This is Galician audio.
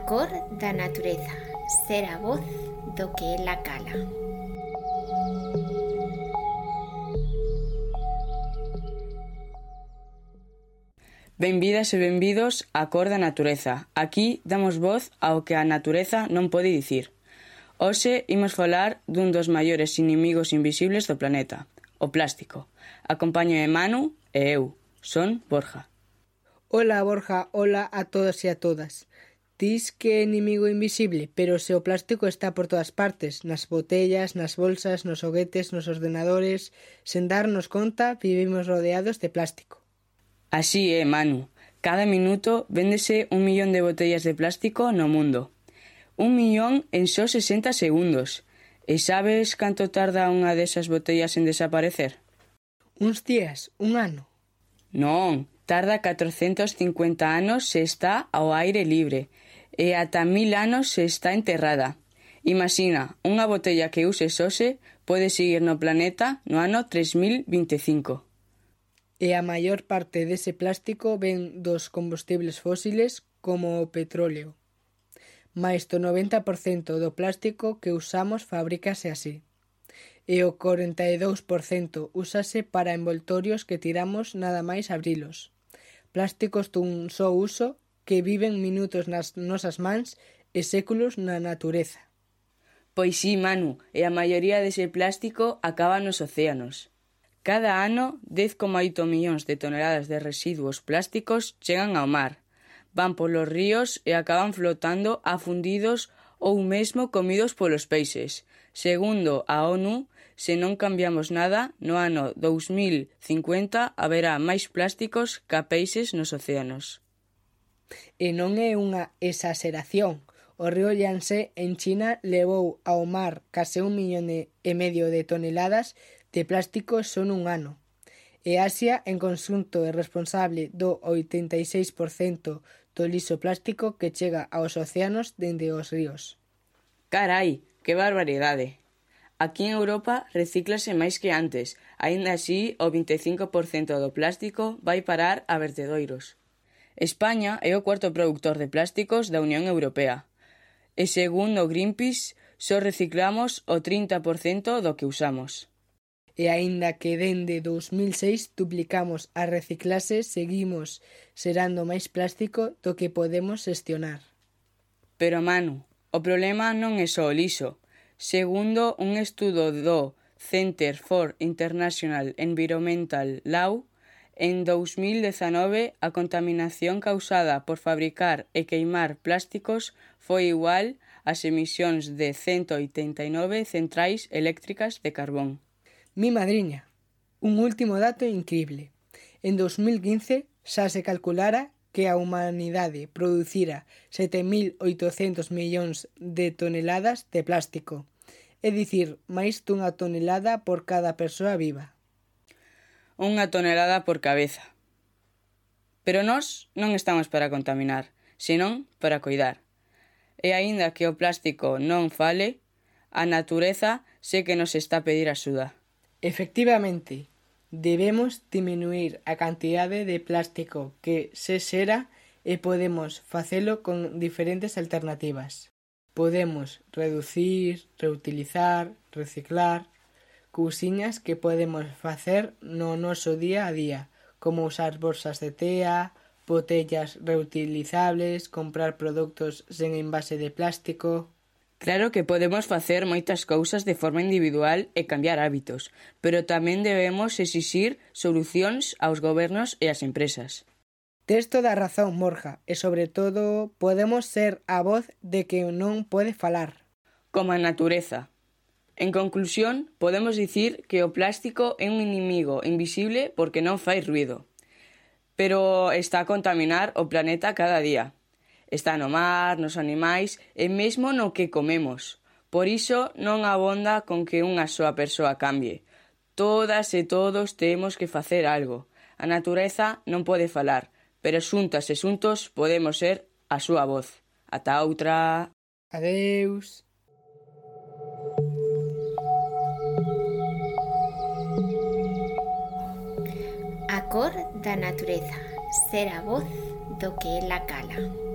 A cor da natureza, ser a voz do que ela cala. Benvidas e benvidos á Cor da Natureza. Aquí damos voz ao que a natureza non pode dicir. Hoxe imos falar dun dos maiores inimigos invisibles do planeta, o plástico. Acompáñame Manu e eu, son Borja. Ola Borja, ola a todos e a todas. Dis que é inimigo invisible, pero se o plástico está por todas partes, nas botellas, nas bolsas, nos xoguetes, nos ordenadores, sen darnos conta, vivimos rodeados de plástico. Así é, Manu. Cada minuto véndese 1 millón de botellas de plástico no mundo. 1 millón en só 60 segundos. E sabes canto tarda unha desas botellas en desaparecer? Uns días, un ano. Non, tarda 450 anos se está ao aire libre e ata 1000 anos se está enterrada. Imagina, unha botella que uses hoxe pode seguir no planeta no ano 3025. E a maior parte dese plástico ven dos combustibles fósiles como o petróleo. Mais do 90% do plástico que usamos fabrícase así. E o 42% úsase para envoltorios que tiramos nada máis abrilos. Plásticos dun só uso que viven minutos nas nosas mans e séculos na natureza. Pois sí, Manu, e a maioría dese plástico acaba nos océanos. Cada ano, 10,8 millóns de toneladas de residuos plásticos chegan ao mar. Van polos ríos e acaban flotando afundidos ou mesmo comidos polos peixes. Segundo a ONU, se non cambiamos nada, no ano 2050 haberá máis plásticos ca peixes nos océanos. E non é unha exageración. O río Yangtze en China levou ao mar case 1,5 millón de toneladas de plástico só nun ano. E Asia, en conxunto, é responsable do 86% do lixo plástico que chega aos océanos dende os ríos. Carai, que barbaridade! Aquí en Europa recíclase máis que antes, aínda así o 25% do plástico vai parar a vertedoiros. España é o cuarto produtor de plásticos da Unión Europea. E segundo Greenpeace, só reciclamos o 30% do que usamos. E aínda que dende 2006 duplicamos a reciclase, seguimos xerando máis plástico do que podemos xestionar. Pero, Manu, o problema non é só o lixo. Segundo un estudo do Center for International Environmental Law, en 2019 a contaminación causada por fabricar e queimar plásticos foi igual ás emisións de 189 centrais eléctricas de carbón. Mi madriña, un último dato incrible. En 2015 xa se calculara que a humanidade producira 7.800 millóns de toneladas de plástico, é dicir, máis dunha tonelada por cada persoa viva. Unha tonelada por cabeza. Pero nós non estamos para contaminar, senón para coidar. E aínda que o plástico non fale, a natureza sé que nos está a pedir axuda. Efectivamente, debemos diminuir a cantidade de plástico que se xera e podemos facelo con diferentes alternativas. Podemos reducir, reutilizar, reciclar, cousiñas que podemos facer no noso día a día, como usar bolsas de tea, botellas reutilizables, comprar produtos sen envase de plástico. Claro que podemos facer moitas cousas de forma individual e cambiar hábitos, pero tamén debemos exixir solucións aos gobernos e ás empresas. Tes toda a razón, Borja, e sobre todo podemos ser a voz de que non pode falar. Como a natureza. En conclusión, podemos dicir que o plástico é un inimigo invisible porque non fai ruido, pero está a contaminar o planeta cada día. Está no mar, nos animais e mesmo no que comemos. Por iso non abonda con que unha soa persoa cambie. Todas e todos temos que facer algo. A natureza non pode falar, pero xuntas e xuntos podemos ser a súa voz. Ata outra. Adeus. A cor da natureza, ser a voz do que ela cala.